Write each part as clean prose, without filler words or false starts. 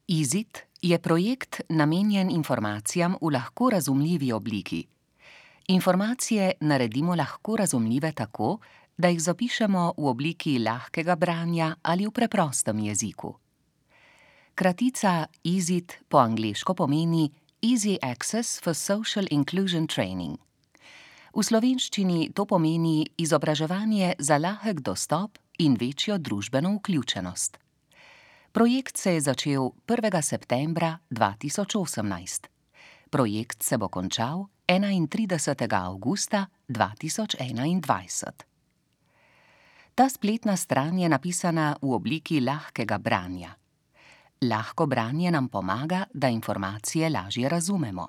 Izid je projekt namenjen informacijam v lahko razumljivi obliki. Informacije naredimo lahko razumljive tako, da jih zapišemo v obliki lahkega branja ali v preprostem jeziku. Kratica Izid po angleško pomeni Easy Access for Social Inclusion Training. V slovenščini to pomeni izobraževanje za lahek dostop in večjo družbeno vključenost. Projekt se je začel 1. septembra 2018. Projekt se bo končal 31. avgusta 2021. Ta spletna stran je napisana v obliki lahkega branja. Lahko branje nam pomaga, da informacije lažje razumemo.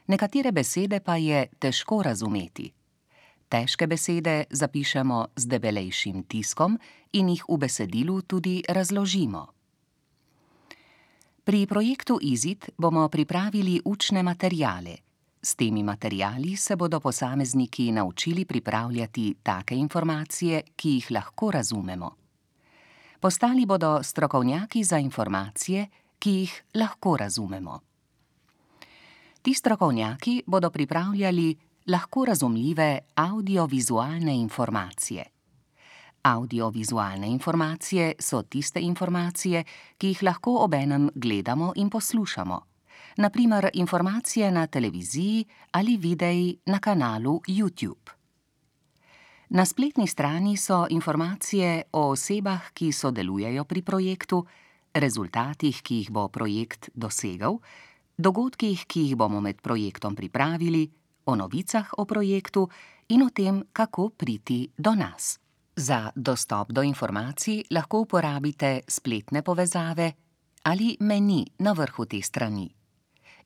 Nekatere besede pa je težko razumeti. Težke besede zapišemo z debelejšim tiskom in jih v besedilu tudi razložimo. Pri projektu Izid bomo pripravili učne materiale. S temi materiali se bodo posamezniki naučili pripravljati take informacije, ki jih lahko razumemo. Postali bodo strokovnjaki za informacije, ki jih lahko razumemo. Ti strokovnjaki bodo pripravljali lahko razumljive avdiovizualne informacije. Avdiovizualne informacije so tiste informacije, ki jih lahko obenem gledamo in poslušamo. Na primer informacije na televiziji ali videi na kanalu YouTube. Na spletni strani so informacije o osebah, ki sodelujejo pri projektu, rezultatih, ki jih bo projekt dosegel, dogodkih, ki jih bomo med projektom pripravili, o novicah o projektu in o tem, kako priti do nas. Za dostop do informacij lahko uporabite spletne povezave ali meni na vrhu te strani.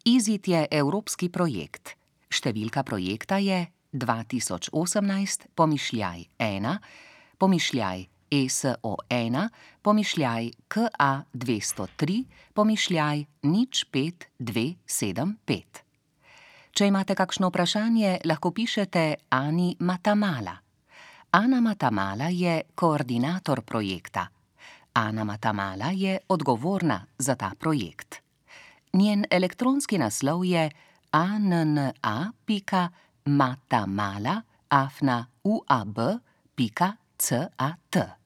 Izid je evropski projekt. Številka projekta je 2018/ESO1-KA203/05-275. Če imate kakšno vprašanje, lahko pišete Ani Matamala. Ana Matamala je koordinator projekta. Ana Matamala je odgovorna za ta projekt. Njen elektronski naslov je anna.matamala@uab.cat.